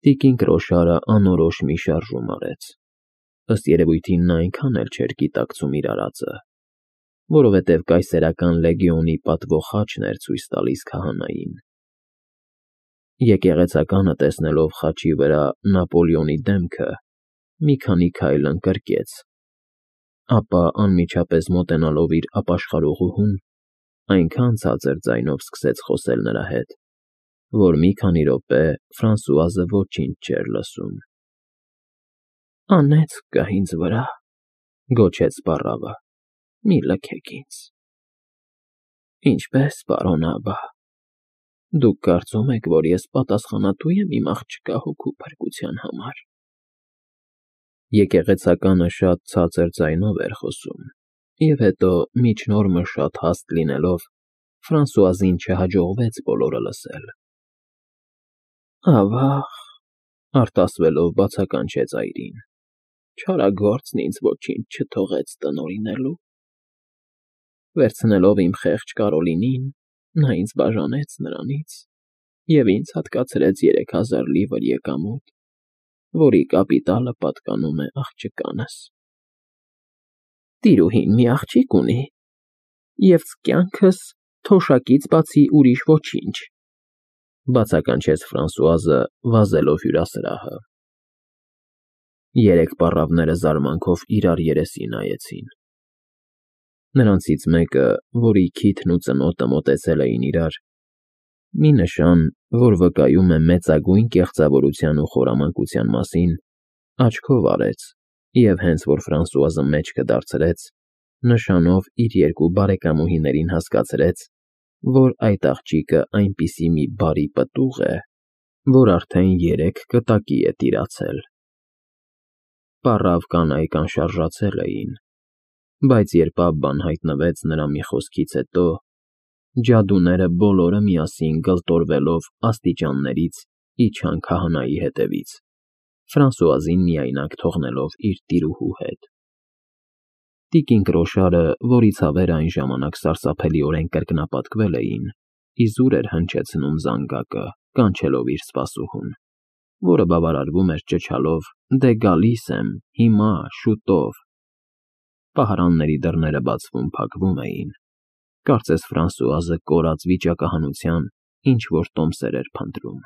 Տիկին Կրոշարը անորոշ մի շարժում արեց, ըստ երևույթին նա այնքան էլ չէր գիտակցում իր արածը, որովհետև կայսերական լեգիոնի պատվո խաչն էր ցույց տալիս քահանային։ Եկեղեցականը տեսնելով խաչի վրա Նապոլեոնի դեմքը, մի քանի քայլ ընկրկեց, ապա անմիջապես մոտենալով իր ապաշխարողուհուն, այնքան ցածր ձայնով սկսեց խոսել նրա հետ, որ մի քանի րոպե Ֆրանսուազը ոչինչ չէր լսում։ «Անեծք կա ինձ վրա», գոչեց պառավը, «մի լքեք ինձ»։ «Ինչպե՞ս, պարոն աբա, դուք կարծում եք, որ ես պատասխանատու եմ իմ աղջկա հոգու փրկության համար»։ Եկեղեցականը շատ ցածր ձայնով էր խոսում, և հետո, միջնորմը շատ հաստ լինելով, Ֆրանսուազին չհաջողվեց բոլորը լսել։ «Ավա՜ղ», արտասվելով բացականչեց այրին, «չարագործն ինձ ոչինչ չթողեց տնօրինելու։ Վերցնելով իմ խեղճ Կարոլինին, նա ինձ բաժանեց նրանից և ինձ հատկացրեց 3000 լիվր եկամուտ, որի կապիտալը պատկանում է աղջկանս։ Տիրուհին մի աղջիկ ունի, և կյանքս թոշակից բացի ուրիշ ոչինչ», բացականչեց Ֆրանսուազը, վազելով հյուրասրահը։ Երեք պառավները զարմանքով իրար երեսի նայեցին։ Նրանցից մեկը, որի քիթն ու ծնոտը մոտեցել էին իրար, մի նշան, որ վկայում է մեծագույն կեղծավորության ու խորամանկության մասին, աչքով արեց և հենց որ Ֆրանսուազը մեջքը դարձրեց, նշանով իր երկու բարեկամուհիներին հասկացրեց, որ այդ աղջիկը այնպիսի մի բարի պտուղ է, որ արդեն 3 կտակի է տիրացել։ Պառավ կանայք անշարժացել էին, բայց երբ Աբբան հայտնվեց նրա մի խոսքից հետո, ջադուները բոլորը միասին գլտորվելով աստիճաններից իջան քահանայի հետևից, Ֆրանսուազին միայնակ թողնելով իր տիրուհու հետ։ Տիկին Կրոշարը, որի ցավերը այն ժամանակ սարսափելիորեն կրկնապատկվել էին, իզուր էր հնչեցնում զանգակը, կանչելով իր սպասուհուն, որը բավարարվում էր ճչալով. «Դե գալիս եմ, հիմա, շուտով»։ Պահարանների դռները բացվում֊փակվում էին, կարծես Ֆրանսուազը կորած վիճակահանության ինչ֊որ տոմսեր էր փնտրում։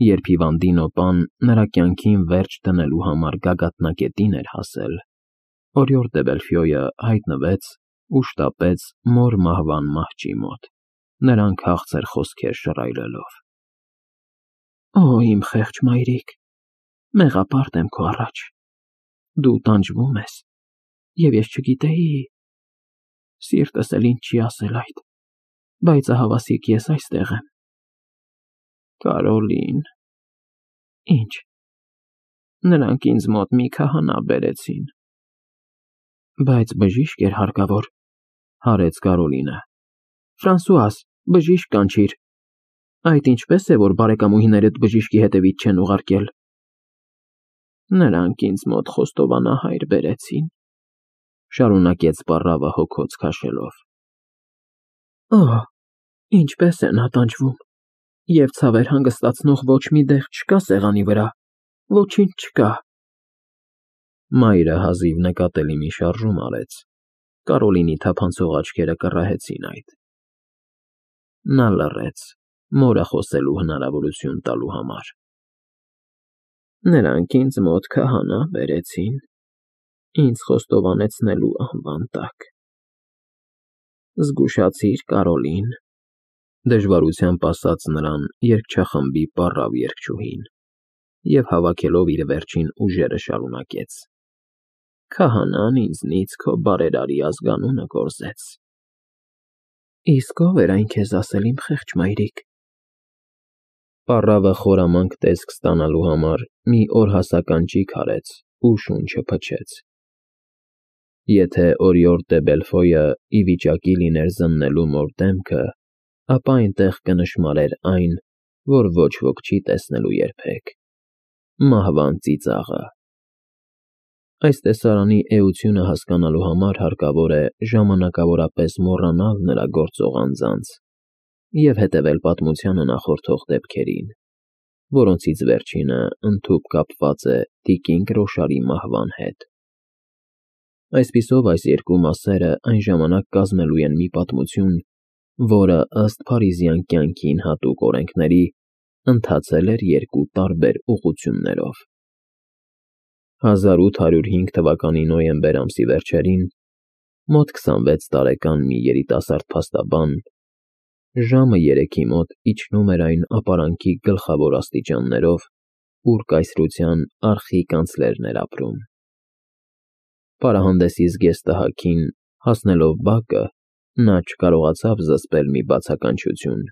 Երբ հիվանդի պան նրա կյանքին վերջ դնելու համար գագաթնակետին էր հասել, Օրիորդ դե Բելֆյոյը հայտնվեց ու շտապեց մոր մահվան մահճի մոտ, նրան քաղցր խոսքեր շռայլելով։ «Օ, իմ խեղճ մայրիկ, մեղապարտ եմ քո առաջ, դու տանջվում ես, և ես չգիտեի, սիրտս էլ ինձ չի ասել այդ, բայց ահավասիկ ես այստեղ եմ։ Կարոլին… Ինչ… Նրանք ինձ մոտ մի քահանա բերեցին»։ «Բայց բժիշկ էր հարկավոր», հարեց Կարոլինը։ «Ֆրանսուազ, բժիշկ կանչիր։ Այդ ինչպե՞ս է, որ բարեկամուհիներդ բժիշկի հետևից չեն ուղարկել»։ «Նրանք ինձ մոտ խոստովանահայր բերեցին», շարունակեց պառավը հոգոց քաշելով։ «Օ, ինչպես է նա տանջվում, և ցավեր հանգստացնող ոչ մի դեղ չկա սեղանի վրա, ոչինչ չկա»։ Մայրը հազիվ նկատելի մի շարժում արեց, Կարոլինի թափանցող աչքերը կռահեցին այդ։ Նա լռեց, մորը խոսելու հնարավորություն տալու համար։ «Նրանք ինձ մոտ քահանա բերեցին, ինձ խոստովանեցնելու անվան տակ։ Զգուշացիր, Կարոլին», դժվարությամբ ասաց նրան երգչախմբի պառավ երգչուհին, և հավաքելով իր վերջին ուժերը շարունակեց. «Քահանան ինձնից քո բարերարի ազգանունը կորզեց»։ «Իսկ ո՞վ էր այն քեզ ասել, իմ խեղճ մայրիկ»։ Պառավը խորամանկ տեսք ստանալու համար մի օրհասականջիկ արեց ու շունչը փչեց։ Եթե Օրիորդ դե Բելֆոյը ի վիճակի լիներ զննելու մոր դեմքը, ապա այնտեղ կնշմարեր այն, որ ոչ ոք չի տեսնելու երբեք՝ մահվան ծիծաղը։ Այս տեսարանի էությունը հասկանալու համար հարկավոր է ժամանակավորապես մոռանալ նրա գործող անձանց և հետևել պատմությանը նախորդող դեպքերին։ որոնցից վերջինը ընդհուպ կապված է տիկին Կրոշարի մահվան հետ։ Այսպիսով այս երկու մասերը այն ժամանակ կազմելու են մի պատմություն, որը ըստ փարիզյան կյանքին հատուկ օրենքների ընթացել էր երկու տարբեր ուղղություններով։ 1805 թվականի նոյեմբեր ամսի վերջերին մոտ 26 տարեկան մի երիտասարդ փաստաբան ժամը 3-ի մոտ իջնում էր այն ապարանքի գլխավոր աստիճաններով, ուր կայսրության արխի-կանցլերն էր ապրում։ Պարահանդեսի զգեստահագին հասնելով բակը, նա չկարողացավ զսպել մի բացականչություն,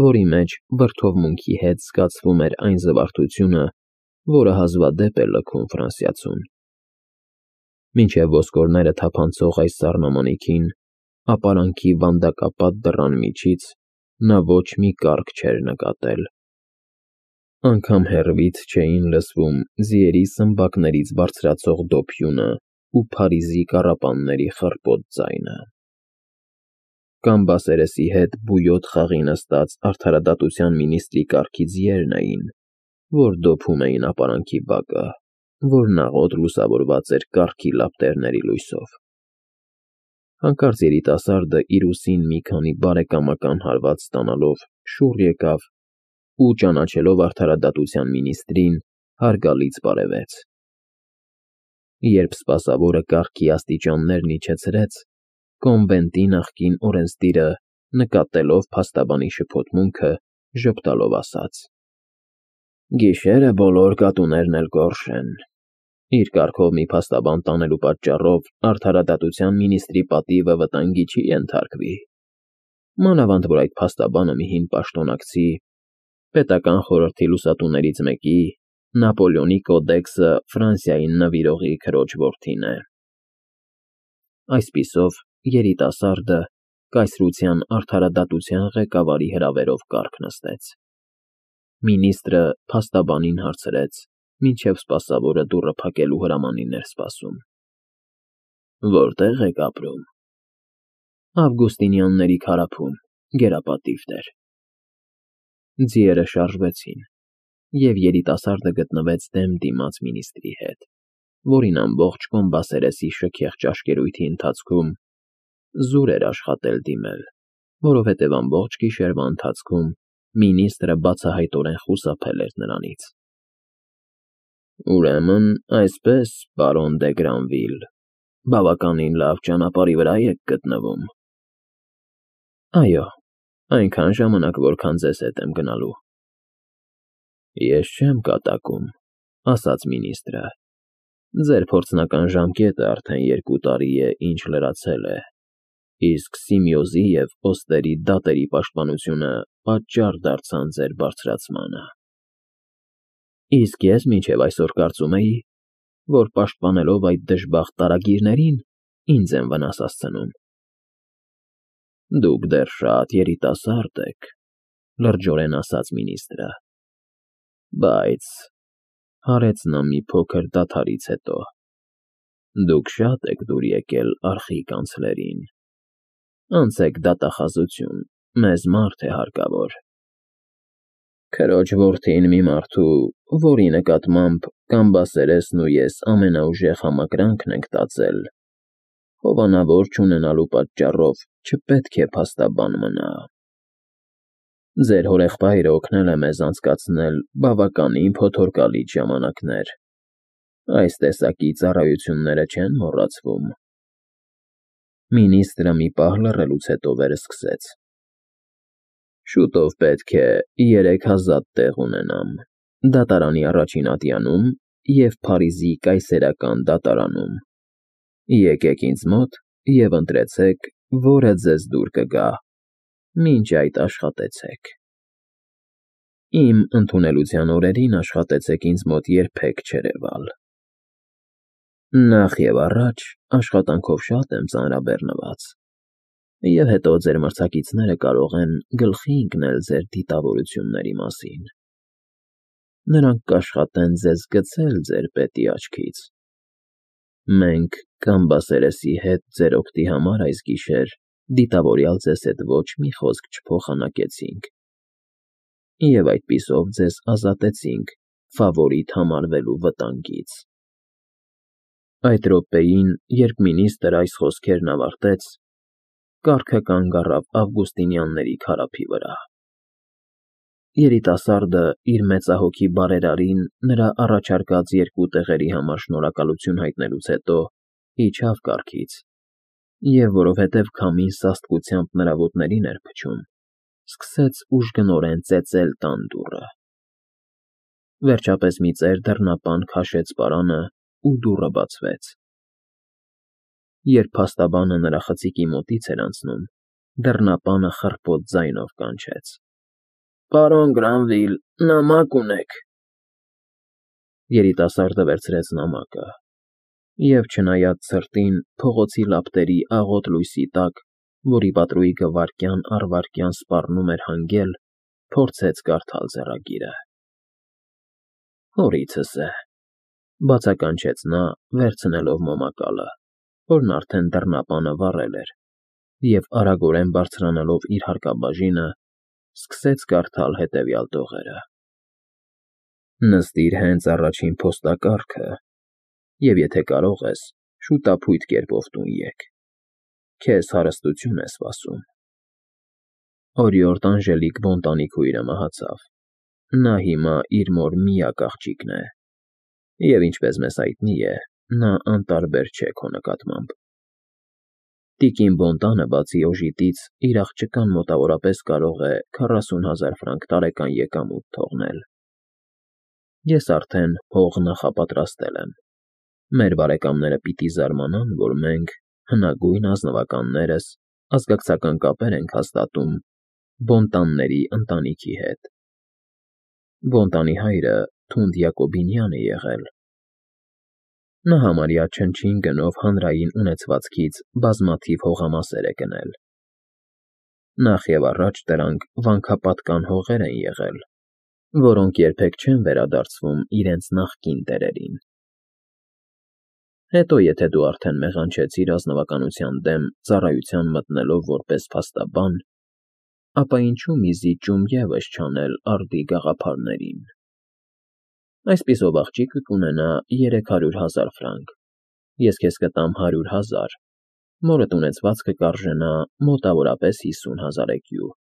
որի մեջ վրդովմունքի հետ զգացվում էր այն զվարթությունը, որը հազվադեպ է լքում Ֆրանսիացուն։ Մինչև ոսկորները թափանցող այս սառնամանիքին, ապարանքի վանդակապատ դռան միջից նա ոչ մի կառք չէր նկատել։ Անգամ հեռվից չէին լսվում ձիերի սմբակներից բարձրացող դոփյունը ու Փարիզի կառապանների խռպոտ ձայնը։ Կամբասերեսի հետ բույոտ խաղի նստած արդարադատության մինիստրի կառքի ձիերն էին, որ դոփում էին ապարանքի բակը, որն աղոտ լուսավորված էր կառքի լապտերների լույսով։ Հանկարծ երիտասարդը իր ուսին մի քանի բարեկամական հարված ստանալով շուռ եկավ ու, ճանաչելով արդարադատության մինիստրին, հարգալից բարևեց։ Երբ սպասավորը կառքի աստիճաններն իջեցրեց, կոնվենտի նախկին օրենսդիրը, նկատելով փաստաբանի շփոթմունքը, ժպտալով ասաց. «Գիշերը բոլոր կատուներն էլ գորշ են»։ Իր կառքով մի փաստաբան տանելու պատճառով արդարադատության մինիստրի պատիվը վտանգի չի ենթարկվի։ Մանավանդ որ այդ փաստաբանը մի հին պաշտոնակցի, պետական խորհրդի լուսատուներից մեկի, Նապոլեոնի կոդեքսը Ֆրանսիային նվիրողի քրոջ որդին է։ Այսպիսով երիտասարդը կայսրության արդարադատության ղեկավարի հրավերով կառք նստեց։ Մինիստրը փաստաբանին հարցրեց, մինչև սպասավորը դուռը փակելու հրամանին էր սպասում. «Որտե՞ղ եք ապրում»։ «Ավգուստինյանների քարափում, գերապատիվ տեր»։ Ձիերը շարժվեցին, և երիտասարդը գտնվեց դեմ դիմաց մինիստրի հետ, որին ամբողջ Կոմբասերեսի շքեղ ճաշկերույթի ընթացքում զուր էր աշխատել դիմել, որովհետև ամբողջ գիշերվա ընթացքում մինիստրը բացահայտորեն խուսափել էր նրանից։ «Ուրեմն այսպես, պարոն դե Գրանվիլ, բավականին լավ ճանապարհի վրա եք գտնվում»։ «Այո, այնքան ժամանակ, որքան ձեզ հետ եմ գնալու»։ «Ես չեմ կատակում», ասաց մինիստրը։ «Ձեր փորձնական ժամկետը արդեն 2 տարի է, ինչ լրացել է, իսկ Սիմեոզի և Օստերի դատերի պաշտպանությունը պատճառ դարձան ձեր բարձրացմանը»։ «Իսկ ես մինչև այսօր կարծում էի, որ պաշտպանելով այդ դժբախտ տարագիրներին, ինձ են վնաս հասցնում»։ «Դուք դեռ շատ երիտասարդ եք», լրջորեն ասաց մինիստրը։ «Բայց,» հարեց նա մի փոքր դադարից հետո, «դուք շատ եք դուր եկել արխի-կանցլերին։ Անցեք դատախազություն, մեզ մարդ է հարկավոր»։ «Քրոջ որդին մի մարդու, որի նկատմամբ Կամբասերեսն ու ես ամենաուժեղ համակրանքն ենք տածել, հովանավոր չունենալու պատճառով չպետք է փաստաբան մնա։ Ձեր հորեղբայրը օգնել է մեզ անցկացնել բավականին փոթորկալից ժամանակներ։ Այս տեսակի ծառայությունները չեն մոռացվում»։ Մինիստրը մի պահ լռելուց հետո վերսկսեց. «Շուտով պետք է 3000 տեղ ունենամ դատարանի առաջին ատյանում և Փարիզի կայսերական դատարանում։ Եկեք ինձ մոտ և ընտրեցեք, որը ձեզ դուր կգա, մինչ այդ աշխատեցեք։ Իմ ընդունելության օրերին աշխատեցեք ինձ մոտ երբեք չերևալ։ Նախ և առաջ աշխատանքով շատ եմ ծանրաբեռնված, և հետո ձեր մրցակիցները կարող են գլխի ընկնել ձեր դիտավորությունների մասին։ Նրանք կաշխատեն ձեզ գցել ձեր պետի աչքից։ Մենք Կամբասերեսի հետ ձեր օգտի համար այս գիշեր դիտավորյալ ձեզ հետ ոչ մի խոսք չփոխանակեցինք։ Եվ այդպիսով ձեզ ազատեցինք ֆավորիտ համարվելու վտանգից։ Այդ րոպեին, երբ մինիստրը այս խոսքերն ավարտեց, կառքը կանգ առավ Ավգուստինյանների քարափի վրա։ Երիտասարդը իր մեծահոգի բարերարին նրա առաջարկած 2 տեղերի համար շնորհակալություն հայտնելուց հետո իջավ կառքից, և որովհետև քամին սաստկությամբ նրա ոտներին էր փչում, սկսեց ուժգնորեն ծեծել տան դուռը։ Վերջապես մի ծեր դռնապան քաշեց պարանը, ու դուռը բացվեց։ Երբ փաստաբանը նրա խցիկի մոտից էր անցնում, դռնապանը խռպոտ ձայնով կանչեց. «Պարոն Գրանվիլ, նամակ ունեք»։ Երիտասարդը վերցրեց նամակը, և չնայած ցրտին, փողոցի լապտերի աղոտ լույսի տակ, որի պատրույգը վայրկյան առ վայրկյան սպառնում էր հանգել, փորձեց կարդալ ձեռագիրը։ «Հորիցս է», բացականչեց նա, վերցնելով մոմակալը, որն արդեն դռնապանը վառել էր, և արագորեն բարձրանալով իր հարկաբաժինը, սկսեց կարդալ հետևյալ տողերը. «Նստիր հենց առաջին փոստակառքը, և եթե կարող ես, շուտափույթ կերպով տուն եկ, քեզ հարստություն է սպասում։ Օրիորդ Անժելիկ Բոնտանի քույրը մահացավ, նա հիմա իր մոր միակ աղջիկն է, և ինչպես մեզ հայտնի է, նա անտարբեր չէ քո նկատմամբ։ Տիկին Բոնտանը, բացի օժիտից, իր աղջկան մոտավորապես կարող է 40,000 ֆրանկ տարեկան եկամուտ թողնել։ Ես արդեն հող նախապատրաստել եմ։ Մեր բարեկամները պիտի զարմանան, որ մենք, հնագույն ազնվականներս, ազգակցական կապեր ենք հաստատում Բոնտանների ընտանիքի հետ։ Բոնտանի հայրը թունդ Յակոբինյան է եղել։ Նա համարյա չնչին գնով հանրային ունեցվածքից բազմաթիվ հողամասեր է գնել։ Նախ և առաջ դրանք վանքապատկան հողեր են եղել, որոնք երբեք չեն վերադարձվում իրենց նախկին տերերին։ Հետո, եթե դու արդեն մեղանչեցիր ազնվականության դեմ ծառայության մտնելով որպես փաստաբան, ապա ինչու մի զիջում ևս չանել արդի գաղափարներին։ Այսպիսով աղջիկը կունենա 300,000 ֆրանկ, ես քեզ կտամ 100,000, մորդ ունեցվածքը կարժենա մոտավորապես 50,000 էկյու։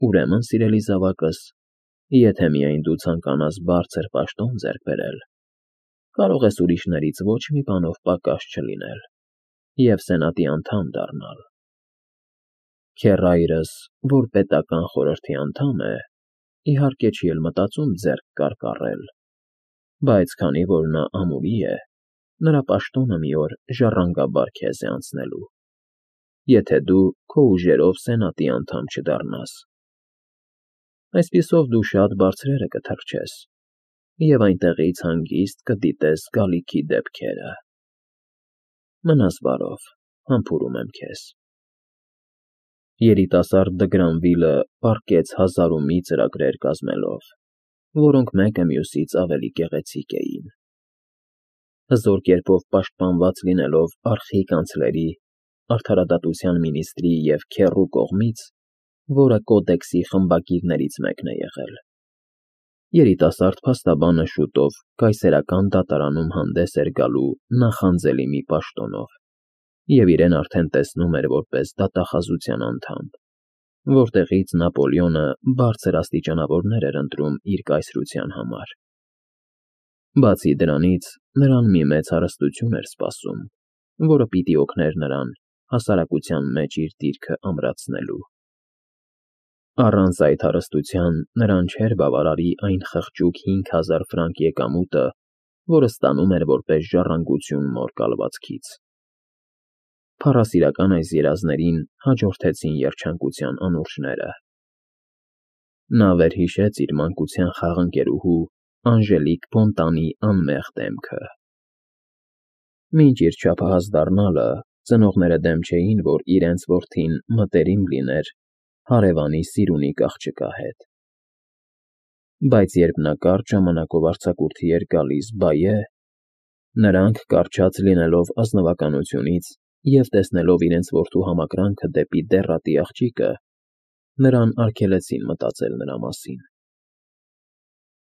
Ուրեմն, սիրելի զավակս, եթե միայն դու ցանկանաս բարձր պաշտոն ձեռք բերել, կարող ես ուրիշներից ոչ մի բանով պակաս չլինել և սենատի անդամ դառնալ։ Քեռայրս, որ պետական խորհրդի անդամ է, իհարկե չի էլ մտածում ձեռք կարկառել, բայց քանի որ նա ամուրի է, նրա պաշտոնը մի օր ժառանգաբար քեզ է անցնելու, եթե դու քո ուժերով սենատի անդամ չդառնաս։ Այսպիսով դու շատ բարձրերը կթռչես և այնտեղից հանգիստ կդիտես գալիքի դեպքերը։ Մնաս բարով, համբուրում եմ քեզ։ Երիտասարդ Դգրանվիլը պառկեց 1000-ի ծրագրեր կազմելով, որոնք մեկը մյուսից ավելի գեղեցիկ էին։ Հզոր կերպով պաշտպանված լինելով արխի կանցլերի, արդարադատության մինիստրի և քեռու կողմից, որը կոդեքսի խմբագիրներից մեկն է եղել, երիտասարդ փաստաբանը շուտով կայսերական դատարանում հանդես էր գալու նախանձելի մի պաշտոնով, և իրեն արդեն տեսնում էր որպես դատախազության անդամ, որտեղից Նապոլեոնը բարձր աստիճանավորներ էր ընտրում իր կայսրության համար։ Բացի դրանից, նրան մի մեծ հարստություն էր սպասում, որը պիտի օգներ նրան հասարակության մեջ իր դիրքը ամրացնելու։ Առանց այդ հարստության նրան չէր բավարարի այն խղճուկ 5,000 ֆրանկ եկամուտը, որը ստանում էր որպես ժառանգություն մոր կալվածքից։ Փառասիրական այս երազներին հաջորդեցին երջանկության անուրջները։ Նա վերհիշեց իր մանկության խաղընկերուհու Անժելիկ Բոնտանի անմեղ դեմքը։ Մինչ իր չափահաս դառնալը, ծնողները դեմ չէին, որ իրենց որդին մտերիմ լիներ հարևանի Սիրունի աղջկա հետ։ Բայց երբ նա կարճ ժամանակով արձակուրդի էր գալիս Բայե, նրանք, կառչած լինելով ազնվականությունից և տեսնելով իրենց որդու համակրանքը դեպի դեռատի աղջիկը, նրան արգելեցին մտածել նրա մասին։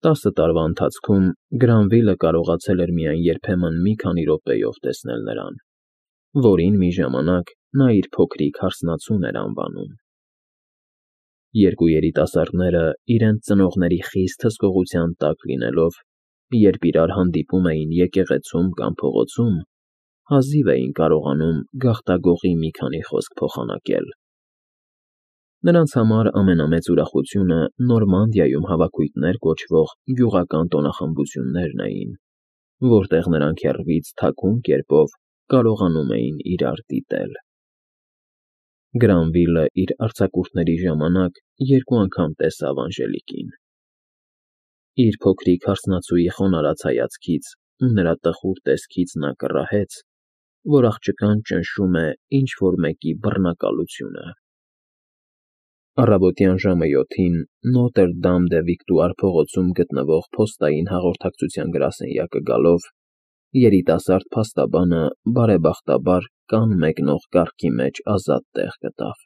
10 տարվա ընթացքում Գրանվիլը կարողացել էր միայն երբեմն մի քանի րոպեով տեսնել նրան, որին մի ժամանակ նա իր փոքրիկ հարսնացուն էր անվանում։ Երկու երիտասարդները իրենց ծնողների խիստ հսկողության տակ լինելով, երբ իրար հանդիպում էին եկեղեցում կամ փողոցում, հազիվ էին կարողանում գաղտագողի մի քանի խոսք փոխանակել։ Նրանց համար ամենամեծ ուրախությունը Նորմանդիայում հավաքույթներ կոչվող գյուղական տոնախմբություններն էին, որտեղ նրանք հեռվից թաքուն կերպով կարողանում էին իրար դիտել։ Գրանվիլը իր արձակուրդների ժամանակ 2 անգամ տեսավ Անժելիկին։ Իր փոքրիկ հարսնացուի խոնարհած հայացքից ու նրա տխուր տեսքից նա կռահեց, որ աղջկան ճնշում է ինչ֊որ մեկի բռնակալությունը։ Առավոտյան ժամը 7-ին Նոտրդամ-դե-Վիկտուար փողոցում գտնվող փոստային հաղորդակցության գրասենյակը գալով, երիտասարդ փաստաբանը բարեբախտաբար կան մեկնող կառքի մեջ ազատ տեղ գտավ։